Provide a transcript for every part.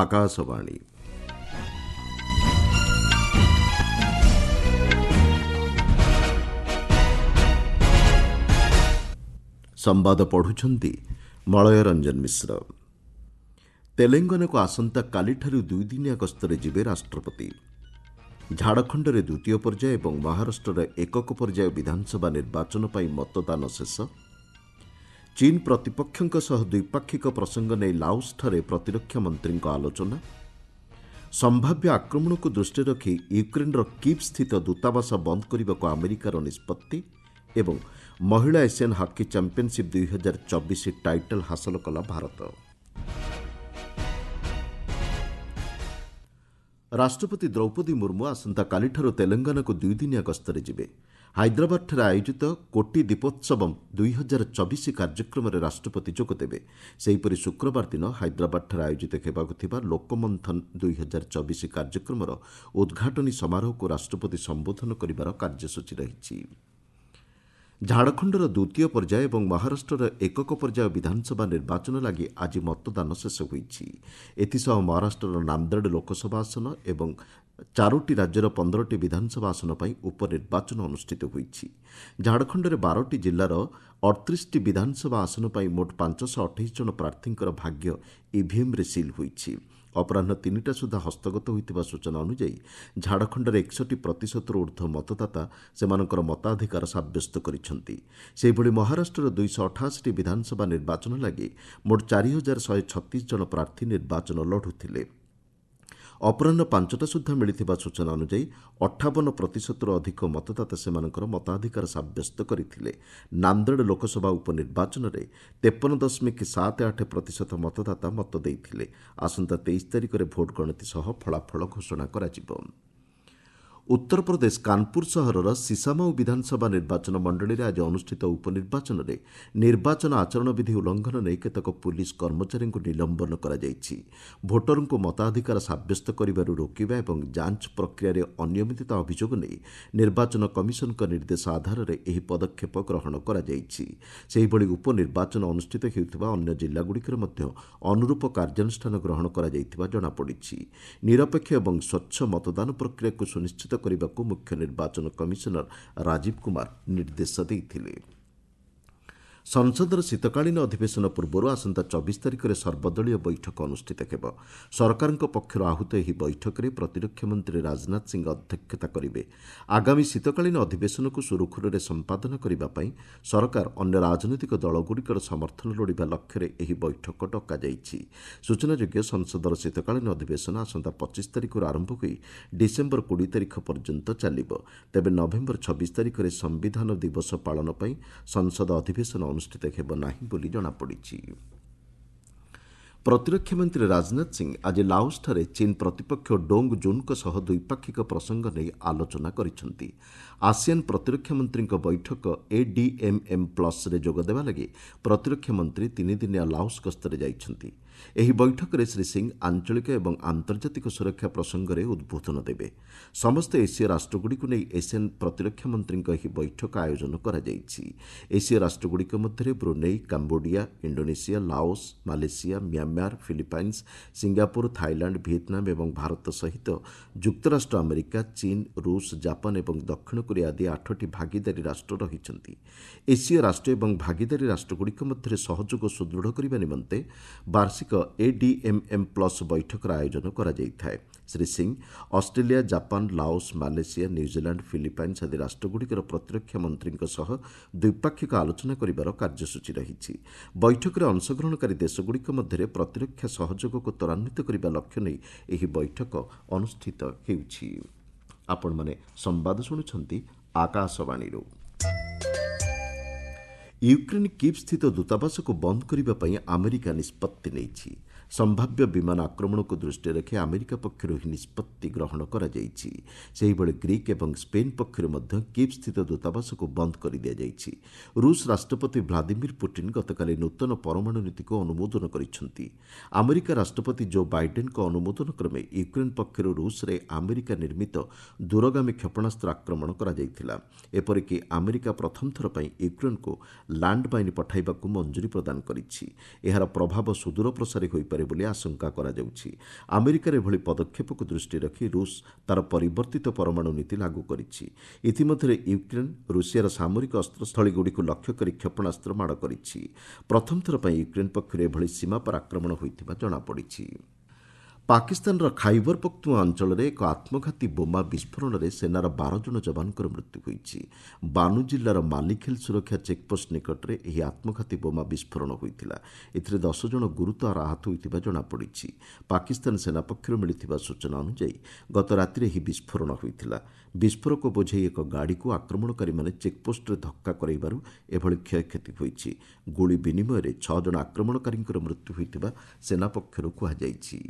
ଆକାଶବାଣୀ। ସମ୍ବାଦ ପଢ଼ୁଛନ୍ତି ମଳୟ ରଞ୍ଜନ ମିଶ୍ର। ତେଲେଙ୍ଗାନାକୁ ଆସନ୍ତାକାଲିଠାରୁ ଦୁଇଦିନିଆ ଗସ୍ତରେ ଯିବେ ରାଷ୍ଟ୍ରପତି। ଝାଡ଼ଖଣ୍ଡରେ ଦ୍ୱିତୀୟ ପର୍ଯ୍ୟାୟ ଏବଂ ମହାରାଷ୍ଟ୍ରରେ ଏକକ ପର୍ଯ୍ୟାୟ ବିଧାନସଭା ନିର୍ବାଚନ ପାଇଁ ମତଦାନ ଶେଷ। ଚୀନ୍ ପ୍ରତିପକ୍ଷଙ୍କ ସହ ଦ୍ୱିପାକ୍ଷିକ ପ୍ରସଙ୍ଗ ନେଇ ଲାଓସ୍ଠାରେ ପ୍ରତିରକ୍ଷା ମନ୍ତ୍ରୀଙ୍କ ଆଲୋଚନା। ସମ୍ଭାବ୍ୟ ଆକ୍ରମଣକୁ ଦୃଷ୍ଟିରେ ରଖି ୟୁକ୍ରେନ୍ର କିଭ୍ ସ୍ଥିତ ଦୂତାବାସ ବନ୍ଦ କରିବାକୁ ଆମେରିକାର ନିଷ୍ପତ୍ତି ଏବଂ ମହିଳା ଏସିଆନ୍ ହକି ଚାମ୍ପିୟନ୍ସିପ୍ 2024 ଟାଇଟଲ୍ ହାସଲ କଲା ଭାରତ। ରାଷ୍ଟ୍ରପତି ଦ୍ରୌପଦୀ ମୁର୍ମୁ ଆସନ୍ତାକାଲିଠାରୁ ତେଲେଙ୍ଗାନାକୁ ଦୁଇଦିନିଆ ଗସ୍ତରେ ଯିବେ। ହାଇଦ୍ରାବାଦଠାରେ ଆୟୋଜିତ କୋଟି ଦୀପୋତ୍ସବମ୍ 2024 କାର୍ଯ୍ୟକ୍ରମରେ ରାଷ୍ଟ୍ରପତି ଯୋଗଦେବେ। ସେହିପରି ଶୁକ୍ରବାର ଦିନ ହାଇଦ୍ରାବାଦଠାରେ ଆୟୋଜିତ ହେବାକୁ ଥିବା ଲୋକମନ୍ଥନ 2024 କାର୍ଯ୍ୟକ୍ରମର ଉଦ୍ଘାଟନୀ ସମାରୋହକୁ ରାଷ୍ଟ୍ରପତି ସମ୍ବୋଧନ କରିବାର କାର୍ଯ୍ୟସୂଚୀ ରହିଛି। ଝାଡ଼ଖଣ୍ଡର ଦ୍ୱିତୀୟ ପର୍ଯ୍ୟାୟ ଏବଂ ମହାରାଷ୍ଟ୍ରର ଏକକ ପର୍ଯ୍ୟାୟ ବିଧାନସଭା ନିର୍ବାଚନ ଲାଗି ଆଜି ମତଦାନ ଶେଷ ହୋଇଛି। ଏଥିସହ ମହାରାଷ୍ଟ୍ରର ନାନ୍ଦେଡ଼ ଲୋକସଭା ଆସନ ଏବଂ ଚାରୋଟି ରାଜ୍ୟର 15ଟି ବିଧାନସଭା ଆସନ ପାଇଁ ଉପନିର୍ବାଚନ ଅନୁଷ୍ଠିତ ହୋଇଛି। ଝାଡ଼ଖଣ୍ଡରେ 12ଟି ଜିଲ୍ଲାର 38ଟି ବିଧାନସଭା ଆସନ ପାଇଁ ମୋଟ 528 ଜଣ ପ୍ରାର୍ଥୀଙ୍କର ଭାଗ୍ୟ ଇଭିଏମ୍ରେ ସିଲ୍ ହୋଇଛି। ଅପରାହ୍ନ 3ଟା ସୁଦ୍ଧା ହସ୍ତଗତ ହୋଇଥିବା ସୂଚନା ଅନୁଯାୟୀ ଝାଡ଼ଖଣ୍ଡରେ 61 ପ୍ରତିଶତରୁ ଉର୍ଦ୍ଧ୍ୱ ମତଦାତା ସେମାନଙ୍କର ମତାଧିକାର ସାବ୍ୟସ୍ତ କରିଛନ୍ତି। ସେହିଭଳି ମହାରାଷ୍ଟ୍ରର 288ଟି ବିଧାନସଭା ନିର୍ବାଚନ ଲାଗି ମୋଟ 4136 ଜଣ ପ୍ରାର୍ଥୀ ନିର୍ବାଚନ ଲଢ଼ୁଥିଲେ। ଅପରାହ୍ନ 5ଟା ସୁଦ୍ଧା ମିଳିଥିବା ସୂଚନା ଅନୁଯାୟୀ 58 ପ୍ରତିଶତରୁ ଅଧିକ ମତଦାତା ସେମାନଙ୍କର ମତାଧିକାର ସାବ୍ୟସ୍ତ କରିଥିଲେ। ନାନ୍ଦେଡ଼ ଲୋକସଭା ଉପନିର୍ବାଚନରେ 53.78 ପ୍ରତିଶତ ମତଦାତା ମତ ଦେଇଥିଲେ। ଆସନ୍ତା 23 ତାରିଖରେ ଭୋଟ୍ ଗଣତି ସହ ଫଳାଫଳ ଘୋଷଣା କରାଯିବ। ଉତ୍ତରପ୍ରଦେଶ କାନପୁର ସହରର ସିସାମାଉ ବିଧାନସଭା ନିର୍ବାଚନ ମଣ୍ଡଳୀରେ ଆଜି ଅନୁଷ୍ଠିତ ଉପନିର୍ବାଚନରେ ନିର୍ବାଚନ ଆଚରଣ ବିଧି ଉଲ୍ଲଂଘନ ନେଇ କେତେକ ପୁଲିସ୍ କର୍ମଚାରୀଙ୍କୁ ନିଲମ୍ବନ କରାଯାଇଛି। ଭୋଟରଙ୍କୁ ମତାଧିକାର ସାବ୍ୟସ୍ତ କରିବାରୁ ରୋକିବା ଏବଂ ଯାଞ୍ଚ ପ୍ରକ୍ରିୟାରେ ଅନିୟମିତତା ଅଭିଯୋଗ ନେଇ ନିର୍ବାଚନ କମିଶନଙ୍କ ନିର୍ଦ୍ଦେଶ ଆଧାରରେ ଏହି ପଦକ୍ଷେପ ଗ୍ରହଣ କରାଯାଇଛି। ସେହିଭଳି ଉପନିର୍ବାଚନ ଅନୁଷ୍ଠିତ ହେଉଥିବା ଅନ୍ୟ ଜିଲ୍ଲାଗୁଡ଼ିକରେ ମଧ୍ୟ ଅନୁରୂପ କାର୍ଯ୍ୟାନୁଷ୍ଠାନ ଗ୍ରହଣ କରାଯାଇଥିବା ଜଣାପଡ଼ିଛି। ନିରପେକ୍ଷ ଏବଂ ସ୍ୱଚ୍ଛ ମତଦାନ ପ୍ରକ୍ରିୟାକୁ ସୁନିଶ୍ଚିତ କରିବାକୁ ମୁଖ୍ୟ ନିର୍ବାଚନ କମିଶନର ରାଜୀବ କୁମାର ନିର୍ଦ୍ଦେଶ ଦେଇଥିଲେ। ସଂସଦର ଶୀତକାଳୀନ ଅଧିବେଶନ ପୂର୍ବରୁ ଆସନ୍ତା 24 ତାରିଖରେ ସର୍ବଦଳୀୟ ବୈଠକ ଅନୁଷ୍ଠିତ ହେବ। ସରକାରଙ୍କ ପକ୍ଷରୁ ଆହୁତ ଏହି ବୈଠକରେ ପ୍ରତିରକ୍ଷା ମନ୍ତ୍ରୀ ରାଜନାଥ ସିଂ ଅଧ୍ୟକ୍ଷତା କରିବେ। ଆଗାମୀ ଶୀତକାଳୀନ ଅଧିବେଶନକୁ ସୁରୁଖୁରୁରେ ସମ୍ପାଦନ କରିବା ପାଇଁ ସରକାର ଅନ୍ୟ ରାଜନୈତିକ ଦଳଗୁଡ଼ିକର ସମର୍ଥନ ଲୋଡ଼ିବା ଲକ୍ଷ୍ୟରେ ଏହି ବୈଠକ ଡକାଯାଇଛି। ସୂଚନାଯୋଗ୍ୟ, ସଂସଦର ଶୀତକାଳୀନ ଅଧିବେଶନ ଆସନ୍ତା 25 ତାରିଖରୁ ଆରମ୍ଭ ହୋଇ ଡିସେମ୍ବର 20 ତାରିଖ ପର୍ଯ୍ୟନ୍ତ ଚାଲିବ। ତେବେ ନଭେମ୍ବର 26 ତାରିଖରେ ସମ୍ବିଧାନ ଦିବସ ପାଳନ ପାଇଁ ସଂସଦ ଅଧିବେଶନ ଅନୁଷ୍ଠିତ ହେବ ନାହିଁ ବୋଲି ଜଣାପଡ଼ିଛି। ପ୍ରତିରକ୍ଷା ମନ୍ତ୍ରୀ ରାଜନାଥ ସିଂ ଆଜି ଲାଓସ୍ଠାରେ ଚୀନ୍ ପ୍ରତିପକ୍ଷ ଡୋଙ୍ଗ ଜୁନ୍ଙ୍କ ସହ ଦ୍ୱିପାକ୍ଷିକ ପ୍ରସଙ୍ଗ ନେଇ ଆଲୋଚନା କରିଛନ୍ତି। ଆସିଆନ୍ ପ୍ରତିରକ୍ଷା ମନ୍ତ୍ରୀଙ୍କ ବୈଠକ ଏଡିଏମ୍ଏମ୍ ପ୍ଲସ୍ରେ ଯୋଗଦେବା ଲାଗି ପ୍ରତିରକ୍ଷା ମନ୍ତ୍ରୀ ତିନିଦିନିଆ ଲାଓସ୍ ଗସ୍ତରେ ଯାଇଛନ୍ତି। ଏହି ବୈଠକରେ ଶ୍ରୀ ସିଂ ଆଞ୍ଚଳିକ ଏବଂ ଆନ୍ତର୍ଜାତିକ ସୁରକ୍ଷା ପ୍ରସଙ୍ଗରେ ଉଦ୍ବୋଧନ ଦେବେ। ସମସ୍ତ ଏସୀୟ ରାଷ୍ଟ୍ରଗୁଡ଼ିକୁ ନେଇ ଏସିଆନ୍ ପ୍ରତିରକ୍ଷା ମନ୍ତ୍ରୀଙ୍କ ଏହି ବୈଠକ ଆୟୋଜନ କରାଯାଇଛି। ଏସୀୟ ରାଷ୍ଟ୍ରଗୁଡ଼ିକ ମଧ୍ୟରେ Brunei, Cambodia, Indonesia, Laos, Malaysia, Myanmar, Philippines, Singapore, Thailand, Vietnam ଏବଂ ଭାରତ ସହିତ ଯୁକ୍ତରାଷ୍ଟ୍ର ଆମେରିକା, ଚୀନ୍, ରୁଷ, ଜାପାନ ଏବଂ ଦକ୍ଷିଣ କୋରିଆ ଆଦି 8ଟି ଭାଗିଦାରୀ ରାଷ୍ଟ୍ର ରହିଛନ୍ତି। ଏସୀୟ ରାଷ୍ଟ୍ର ଏବଂ ଭାଗିଦାରୀ ରାଷ୍ଟ୍ରଗୁଡ଼ିକ ମଧ୍ୟରେ ସହଯୋଗ ସୁଦୃଢ଼ କରିବା ନିମନ୍ତେ ବାର୍ଷିକ ଏଡିଏମ୍ଏମ୍ ପ୍ଲସ୍ ବୈଠକର ଆୟୋଜନ କରାଯାଇଥାଏ। Shri Singh Australia, Japan, Laos, Malaysia, New Zealand, Philippines ଆଦି ରାଷ୍ଟ୍ରଗୁଡ଼ିକର ପ୍ରତିରକ୍ଷା ମନ୍ତ୍ରୀଙ୍କ ସହ ଦ୍ୱିପାକ୍ଷିକ ଆଲୋଚନା କରିବାର କାର୍ଯ୍ୟସୂଚୀ ରହିଛି। ବୈଠକରେ ଅଂଶଗ୍ରହଣକାରୀ ଦେଶଗୁଡ଼ିକ ମଧ୍ୟରେ ପ୍ରତିରକ୍ଷା ସହଯୋଗକୁ ତ୍ୱରାନ୍ୱିତ କରିବା ଲକ୍ଷ୍ୟ ନେଇ ଏହି ବୈଠକ ଅନୁଷ୍ଠିତ ହେଉଛି। ଆପଣମାନେ ସମ୍ବାଦ ଶୁଣୁଛନ୍ତି ଆକାଶବାଣୀରୁ। ୟୁକ୍ରେନ୍ କିଭ୍ ସ୍ଥିତ ଦୂତାବାସକୁ ବନ୍ଦ କରିବା ପାଇଁ ଆମେରିକା ନିଷ୍ପତ୍ତି ନେଇଛି। ସମ୍ଭାବ୍ୟ ବିମାନ ଆକ୍ରମଣକୁ ଦୃଷ୍ଟିରେ ରଖି ଆମେରିକା ପକ୍ଷରୁ ଏହି ନିଷ୍ପତ୍ତି ଗ୍ରହଣ କରାଯାଇଛି। ସେହିଭଳି ଗ୍ରୀକ୍ ଏବଂ ସ୍ପେନ୍ ପକ୍ଷରୁ ମଧ୍ୟ କିଭ୍ ସ୍ଥିତ ଦୂତାବାସକୁ ବନ୍ଦ କରିଦିଆଯାଇଛି। ରୁଷ ରାଷ୍ଟ୍ରପତି ଭ୍ଲାଦିମିର ପୁଟିନ୍ ଗତକାଲି ନୂତନ ପରମାଣୁ ନୀତିକୁ ଅନୁମୋଦନ କରିଛନ୍ତି। ଆମେରିକା ରାଷ୍ଟ୍ରପତି ଜୋ ବାଇଡେନ୍ଙ୍କ ଅନୁମୋଦନ କ୍ରମେ ୟୁକ୍ରେନ୍ ପକ୍ଷରୁ ରୁଷରେ ଆମେରିକା ନିର୍ମିତ ଦୂରଗାମୀ କ୍ଷେପଣାସ୍ତ୍ର ଆକ୍ରମଣ କରାଯାଇଥିଲା। ଏପରିକି ଆମେରିକା ପ୍ରଥମ ଥର ପାଇଁ ୟୁକ୍ରେନ୍କୁ ଲ୍ୟାଣ୍ଡମାଇନ୍ ପଠାଇବାକୁ ମଞ୍ଜୁରୀ ପ୍ରଦାନ କରିଛି। ଏହାର ପ୍ରଭାବ ସୁଦୂରପ୍ରସାରୀ ହୋଇପାରେ ହୋଇପାରେ ବୋଲି ଆଶଙ୍କା କରାଯାଉଛି। ଆମେରିକାର ଏଭଳି ପଦକ୍ଷେପକୁ ଦୃଷ୍ଟିରେ ରଖି ରୁଷ ତା'ର ପରିବର୍ତ୍ତିତ ପରମାଣୁ ନୀତି ଲାଗୁ କରିଛି। ଇତିମଧ୍ୟରେ ୟୁକ୍ରେନ୍ ରୁଷିଆର ସାମରିକ ଅସ୍ତ୍ରସ୍ଥଳୀଗୁଡ଼ିକୁ ଲକ୍ଷ୍ୟ କରି କ୍ଷେପଣାସ୍ତ୍ର ମାଡ଼ କରିଛି। ପ୍ରଥମ ଥର ପାଇଁ ୟୁକ୍ରେନ୍ ପକ୍ଷରୁ ଏଭଳି ସୀମାପାର ଆକ୍ରମଣ ହୋଇଥିବା ଜଣାପଡ଼ିଛି। ପାକିସ୍ତାନର ଖାଇବର ପଖ୍ତୁଆ ଅଞ୍ଚଳରେ ଏକ ଆତ୍ମଘାତୀ ବୋମା ବିସ୍ଫୋରଣରେ ସେନାର 12 ଜଣ ଯବାନଙ୍କର ମୃତ୍ୟୁ ହୋଇଛି। ବାନୁ ଜିଲ୍ଲାର ମାଲିଖେଲ ସୁରକ୍ଷା ଚେକ୍ପୋଷ୍ଟ ନିକଟରେ ଏହି ଆତ୍ମଘାତୀ ବୋମା ବିସ୍ଫୋରଣ ହୋଇଥିଲା। ଏଥିରେ 10 ଜଣ ଗୁରୁତର ଆହତ ହୋଇଥିବା ଜଣାପଡ଼ିଛି। ପାକିସ୍ତାନ ସେନା ପକ୍ଷରୁ ମିଳିଥିବା ସୂଚନା ଅନୁଯାୟୀ ଗତ ରାତିରେ ଏହି ବିସ୍ଫୋରଣ ହୋଇଥିଲା। ବିସ୍ଫୋରକ ବୋଝେଇ ଏକ ଗାଡ଼ିକୁ ଆକ୍ରମଣକାରୀମାନେ ଚେକ୍ପୋଷ୍ଟରେ ଧକ୍କା କରାଇବାରୁ ଏଭଳି କ୍ଷୟକ୍ଷତି ହୋଇଛି। ଗୁଳି ବିନିମୟରେ 6 ଜଣ ଆକ୍ରମଣକାରୀଙ୍କର ମୃତ୍ୟୁ ହୋଇଥିବା ସେନା ପକ୍ଷରୁ କୁହାଯାଇଛି।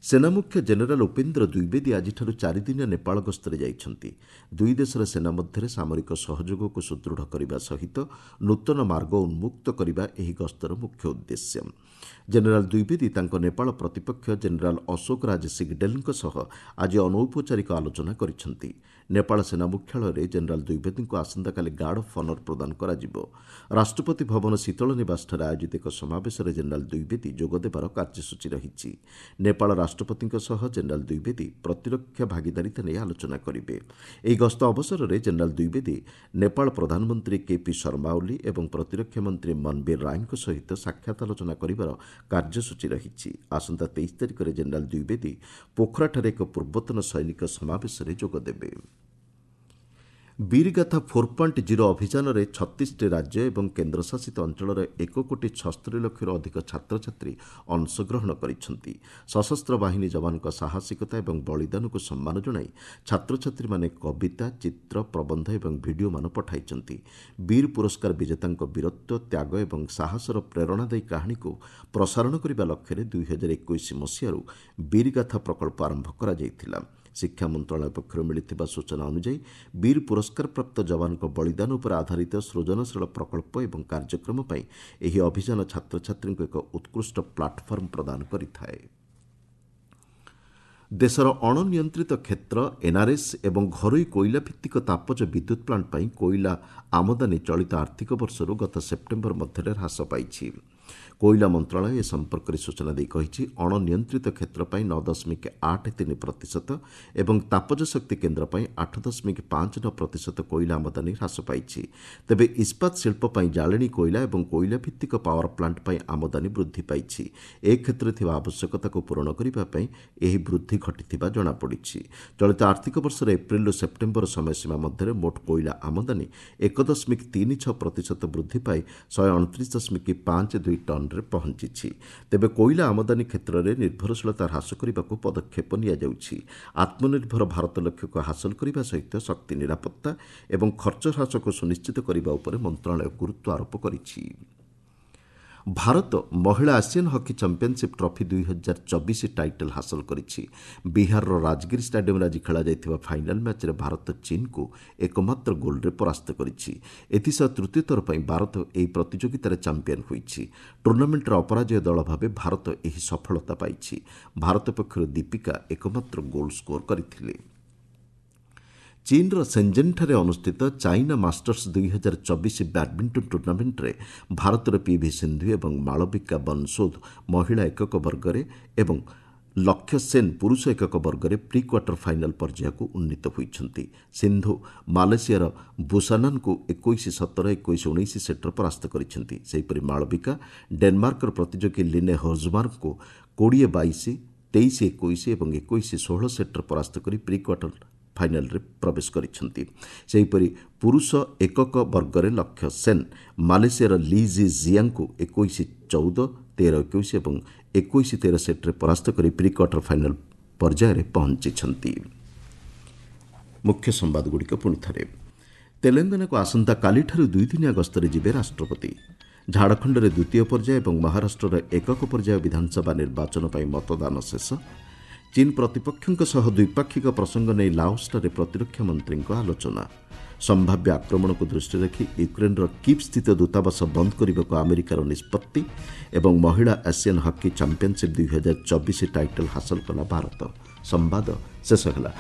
ସେନାମୁଖ୍ୟ ଜେନେରାଲ ଉପେନ୍ଦ୍ର ଦ୍ୱିବେଦୀ ଆଜିଠାରୁ 4 ଦିନିଆ ନେପାଳ ଗସ୍ତରେ ଯାଇଛନ୍ତି। ଦୁଇ ଦେଶର ସେନା ମଧ୍ୟରେ ସାମରିକ ସହଯୋଗକୁ ସୁଦୃଢ଼ କରିବା ସହିତ ନୂତନ ମାର୍ଗ ଉନ୍ମୁକ୍ତ କରିବା ଏହି ଗସ୍ତର ମୁଖ୍ୟ ଉଦ୍ଦେଶ୍ୟ। ଜେନେରାଲ ଦ୍ୱିବେଦୀ ତାଙ୍କ ନେପାଳ ପ୍ରତିପକ୍ଷ ଜେନେରାଲ ଅଶୋକ ରାଜ ସିଗଡେଲଙ୍କ ସହ ଆଜି ଅନୌପଚାରିକ ଆଲୋଚନା କରିଛନ୍ତି। ନେପାଳ ସେନା ମୁଖ୍ୟାଳୟରେ ଜେନେରାଲ ଦ୍ୱିବେଦୀଙ୍କୁ ଆସନ୍ତାକାଲି ଗାର୍ଡ ଅଫ୍ ଅନର ପ୍ରଦାନ କରାଯିବ। ରାଷ୍ଟ୍ରପତି ଭବନ ଶୀତଳ ନିବାସଠାରେ ଆୟୋଜିତ ଏକ ସମାବେଶରେ ଜେନେରାଲ ଦ୍ୱିବେଦୀ ଯୋଗଦେବାର କାର୍ଯ୍ୟସୂଚୀ ରହିଛି। ନେପାଳ ରାଷ୍ଟ୍ରପତିଙ୍କ ସହ ଜେନେରାଲ ଦ୍ୱିବେଦୀ ପ୍ରତିରକ୍ଷା ଭାଗିଦାରିତା ନେଇ ଆଲୋଚନା କରିବେ। ଏହି ଗସ୍ତ ଅବସରରେ ଜେନେରାଲ ଦ୍ୱିବେଦୀ ନେପାଳ ପ୍ରଧାନମନ୍ତ୍ରୀ କେପି ଶର୍ମା ଓଲି ଏବଂ ପ୍ରତିରକ୍ଷା ମନ୍ତ୍ରୀ ମନବୀର ରାୟଙ୍କ ସହିତ ସାକ୍ଷାତ ଆଲୋଚନା କରିବାର କାର୍ଯ୍ୟସୂଚୀ ରହିଛି। ଆସନ୍ତା 23 ତାରିଖରେ ଜେନେରାଲ ଦ୍ୱିବେଦୀ ପୋଖରାଠାରେ ଏକ ପୂର୍ବତନ ସୈନିକ ସମାବେଶରେ ଯୋଗଦେବେ। ବୀରଗାଥା 4.0 ଅଭିଯାନରେ 36ଟି ରାଜ୍ୟ ଏବଂ କେନ୍ଦ୍ରଶାସିତ ଅଞ୍ଚଳର 1,76,00,000ରୁ ଅଧିକ ଛାତ୍ରଛାତ୍ରୀ ଅଂଶଗ୍ରହଣ କରିଛନ୍ତି। ସଶସ୍ତ୍ର ବାହିନୀ ଯବାନଙ୍କ ସାହସିକତା ଏବଂ ବଳିଦାନକୁ ସମ୍ମାନ ଜଣାଇ ଛାତ୍ରଛାତ୍ରୀମାନେ କବିତା, ଚିତ୍ର, ପ୍ରବନ୍ଧ ଏବଂ ଭିଡ଼ିଓମାନ ପଠାଇଛନ୍ତି। ବୀର ପୁରସ୍କାର ବିଜେତାଙ୍କ ବୀରତ୍ୱ, ତ୍ୟାଗ ଏବଂ ସାହସର ପ୍ରେରଣାଦାୟୀ କାହାଣୀକୁ ପ୍ରସାରଣ କରିବା ଲକ୍ଷ୍ୟରେ 2021 ମସିହାରୁ ବୀରଗାଥା ପ୍ରକଳ୍ପ ଆରମ୍ଭ କରାଯାଇଥିଲା। ଶିକ୍ଷା ମନ୍ତ୍ରଣାଳୟ ପକ୍ଷରୁ ମିଳିଥିବା ସୂଚନା ଅନୁଯାୟୀ ବୀର ପୁରସ୍କାରପ୍ରାପ୍ତ ଯବାନଙ୍କ ବଳିଦାନ ଉପରେ ଆଧାରିତ ସୃଜନଶୀଳ ପ୍ରକଳ୍ପ ଏବଂ କାର୍ଯ୍ୟକ୍ରମ ପାଇଁ ଏହି ଅଭିଯାନ ଛାତ୍ରଛାତ୍ରୀଙ୍କୁ ଏକ ଉତ୍କୃଷ୍ଟ ପ୍ଲାଟଫର୍ମ ପ୍ରଦାନ କରିଥାଏ। ଦେଶର ଅଣନିୟନ୍ତ୍ରିତ କ୍ଷେତ୍ର, ଏନ୍ଆର୍ଏସ୍ ଏବଂ ଘରୋଇ କୋଇଲା ଭିତ୍ତିକ ତାପଜ ବିଦ୍ୟୁତ୍ ପ୍ଲାଣ୍ଟ ପାଇଁ କୋଇଲା ଆମଦାନୀ ଚଳିତ ଆର୍ଥିକ ବର୍ଷରୁ ଗତ ସେପ୍ଟେମ୍ବର ମଧ୍ୟରେ ହ୍ରାସ ପାଇଛି। କୋଇଲା ମନ୍ତ୍ରଣାଳୟ ଏ ସମ୍ପର୍କରେ ସୂଚନା ଦେଇ କହିଛି, ଅଣନିୟନ୍ତ୍ରିତ କ୍ଷେତ୍ର ପାଇଁ 9.83% ଏବଂ ତାପଜ ଶକ୍ତି କେନ୍ଦ୍ର ପାଇଁ 8.59% କୋଇଲା ଆମଦାନୀ ହ୍ରାସ ପାଇଛି। ତେବେ ଇସ୍ପାତ ଶିଳ୍ପ ପାଇଁ ଜାଳେଣୀ କୋଇଲା ଏବଂ କୋଇଲା ଭିତ୍ତିକ ପାୱାର ପ୍ଲାଣ୍ଟ ପାଇଁ ଆମଦାନୀ ବୃଦ୍ଧି ପାଇଛି। ଏ କ୍ଷେତ୍ରରେ ଥିବା ଆବଶ୍ୟକତାକୁ ପୂରଣ କରିବା ପାଇଁ ଏହି ବୃଦ୍ଧି ଘଟିଥିବା ଜଣାପଡ଼ିଛି। ଚଳିତ ଆର୍ଥିକ ବର୍ଷର ଏପ୍ରିଲରୁ ସେପ୍ଟେମ୍ବର ସମୟସୀମା ମଧ୍ୟରେ ମୋଟ କୋଇଲା ଆମଦାନୀ 1.36% ବୃଦ୍ଧି ପାଇ 129.52 ଟନ୍ରେ ପହଞ୍ଚିଛି। ତେବେ କୋଇଲା ଆମଦାନୀ କ୍ଷେତ୍ରରେ ନିର୍ଭରଶୀଳତା ହ୍ରାସ କରିବାକୁ ପଦକ୍ଷେପ ନିଆଯାଉଛି। ଆତ୍ମନିର୍ଭର ଭାରତ ଲକ୍ଷ୍ୟକୁ ହାସଲ କରିବା ସହିତ ଶକ୍ତି ନିରାପତ୍ତା ଏବଂ ଖର୍ଚ୍ଚ ହ୍ରାସକୁ ସୁନିଶ୍ଚିତ କରିବା ଉପରେ ମନ୍ତ୍ରଣାଳୟ ଗୁରୁତ୍ୱ ଆରୋପ କରିଛି। ଭାରତ ମହିଳା ASEAN hockey championship trophy 2024 title ହାସଲ କରିଛି। ବିହାରର ରାଜଗିରି ଷ୍ଟାଡିୟମରେ ଆଜି ଖେଳାଯାଇଥିବା ଫାଇନାଲ୍ ମ୍ୟାଚ୍ରେ ଭାରତ ଚୀନକୁ ଏକମାତ୍ର ଗୋଲ୍ରେ ପରାସ୍ତ କରିଛି। ଏଥିସହ ତୃତୀୟ ଥର ପାଇଁ ଭାରତ ଏହି ପ୍ରତିଯୋଗିତାରେ ଚାମ୍ପିୟନ ହୋଇଛି। ଟୁର୍ଣ୍ଣାମେଣ୍ଟର ଅପରାଜୟ ଦଳ ଭାବେ ଭାରତ ଏହି ସଫଳତା ପାଇଛି। ଭାରତ ପକ୍ଷରୁ ଦୀପିକା ଏକମାତ୍ର ଗୋଲ୍ ସ୍କୋର କରିଥିଲେ। ଚୀନର ସେଞ୍ଜେନ୍ଠାରେ ଅନୁଷ୍ଠିତ ଚାଇନା ମାଷ୍ଟର୍ସ 2024 ବ୍ୟାଡମିଣ୍ଟନ ଟୁର୍ଣ୍ଣାମେଣ୍ଟରେ ଭାରତର ପିଭି ସିନ୍ଧୁ ଏବଂ ମାଳବିକା ବନସୋଦ ମହିଳା ଏକକ ବର୍ଗରେ ଏବଂ ଲକ୍ଷ୍ୟ ସେନ୍ ପୁରୁଷ ଏକକ ବର୍ଗରେ ପ୍ରି କ୍ୱାର୍ଟର ଫାଇନାଲ୍ ପର୍ଯ୍ୟାୟକୁ ଉନ୍ନୀତ ହୋଇଛନ୍ତି। ସିନ୍ଧୁ ମାଲେସିଆର ବୁସାନାନଙ୍କୁ 21-17, 21-19 ସେଟ୍ରେ ପରାସ୍ତ କରିଛନ୍ତି। ସେହିପରି ମାଳବିକା ଡେନମାର୍କର ପ୍ରତିଯୋଗୀ ଲିନେ ହୋଜମାର୍କଙ୍କୁ 20-22, 23-21 ଏବଂ 21-16 ସେଟ୍ରେ ପରାସ୍ତ କରି ପ୍ରି କ୍ୱାର୍ଟର ଫାଇନାଲ୍ରେ ପ୍ରବେଶ କରିଛନ୍ତି। ସେହିପରି ପୁରୁଷ ଏକକ ବର୍ଗରେ ଲକ୍ଷ୍ୟ ସେନ୍ ମାଲେସିଆର ଲି ଜି ଜିଆଙ୍କୁ 21-14, 13-21 ଏବଂ 21-13 ସେଟ୍ରେ ପରାସ୍ତ କରି ପ୍ରି କ୍ୱାର୍ଟର ଫାଇନାଲ୍ ପର୍ଯ୍ୟାୟରେ ପହଞ୍ଚିଛନ୍ତି। ମୁଖ୍ୟ ସମ୍ବାଦଗୁଡ଼ିକ ପୁଣି ଥରେ। ତେଲେଙ୍ଗାନାକୁ ଆସନ୍ତାକାଲିଠାରୁ 2 ଦିନିଆ ଗସ୍ତରେ ଯିବେ ରାଷ୍ଟ୍ରପତି। ଝାଡ଼ଖଣ୍ଡରେ ଦ୍ୱିତୀୟ ପର୍ଯ୍ୟାୟ ଏବଂ ମହାରାଷ୍ଟ୍ରର ଏକକ ପର୍ଯ୍ୟାୟ ବିଧାନସଭା ନିର୍ବାଚନ ପାଇଁ ମତଦାନ ଶେଷ। ଚୀନ୍ ପ୍ରତିପକ୍ଷଙ୍କ ସହ ଦ୍ୱିପାକ୍ଷିକ ପ୍ରସଙ୍ଗ ନେଇ ଲାଓସଠାରେ ପ୍ରତିରକ୍ଷା ମନ୍ତ୍ରୀଙ୍କ ଆଲୋଚନା। ସମ୍ଭାବ୍ୟ ଆକ୍ରମଣକୁ ଦୃଷ୍ଟିରେ ରଖି ୟୁକ୍ରେନ୍ର କିଭ୍ ସ୍ଥିତ ଦୂତାବାସ ବନ୍ଦ କରିବାକୁ ଆମେରିକାର ନିଷ୍ପତ୍ତି ଏବଂ ମହିଳା ଆସିଆନ୍ ହକି ଚାମ୍ପିୟନସିପ୍ 2024 ଟାଇଟଲ୍ ହାସଲ କଲା ଭାରତ। ସମ୍ବାଦ ଶେଷ ହେଲା।